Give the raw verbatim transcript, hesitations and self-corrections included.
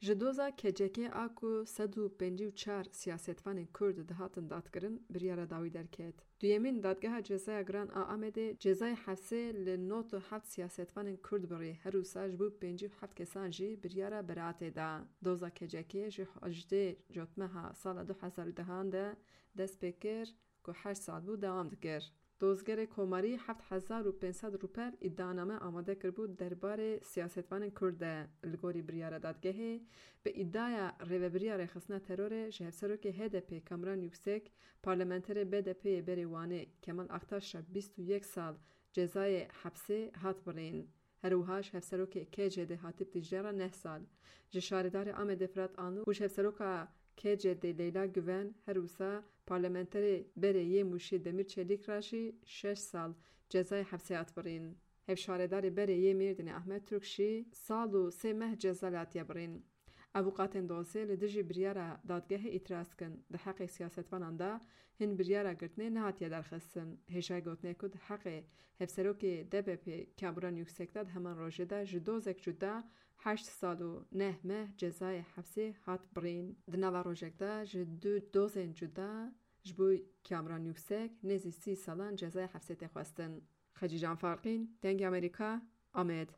Ji doza K C K a ku sed û pêncî û çar siyasetvanên Kurd dihatin dadkirin, biryara dawî derket. Duyemîn Dadgeha Cezaya Giran a Amedê cezayê hepsê li nod û heft siyasetvanên Kurd birî, her wisa ji bo pêncî û heft kesan jî biryara beraatê da. Doza K C K ji hejdê Cotmeha sala du hezar û dehan de dest pê kir ku heşt sal bû dewam dikir. Dozgerê Komarî heft hezar û pênc sed rûpel îdianame amade kiribû derbarê siyasetvanên Kurd de. Li gorî biryara dadgehê, bi îdiaya rêvebiriya rêxistina terorê ji hevserokê H D P Kamran Yüksek, parlamenterê B D P'yê berê Wanê Kemal Aktaş re bîst û yek sal cezayê hepsê hat birîn. Her wiha ji hevserokê K C D Hatîp Dîcle re neh sal, ji şaredarê Amedê Firat Anlû û ji hevseroka K C D Leyla Güven, her wisa parlamenterê berê yê Mûşê Demîr Çelîk re jî şeş sal cezayê hepsê hat birîn. Hevşaredarê berê yê Mêrdînê Ahmet Türk jî sal û sê meh ceza li hatiye birîn. Avûkatên dosê li dijî biryara dadgehê îtiraz dikin. Di heqê siyasetvanan de hin biryara girtinê nehatiye derxistin. Hêjayî gotinê ku di heqê hevserokê D B P'ê Kamran Yüksek de di heman rojê de ji dozek cuda heşt sal û neh meh cezayê hepsê hat birîn. Di nava rojek de ji du dozên cuda ji bo Kamran Yüksek nêzî sî salan cezayê hepsê tê xwestin. Xecîcan Farqîn, Dengê Amerîka, Amed.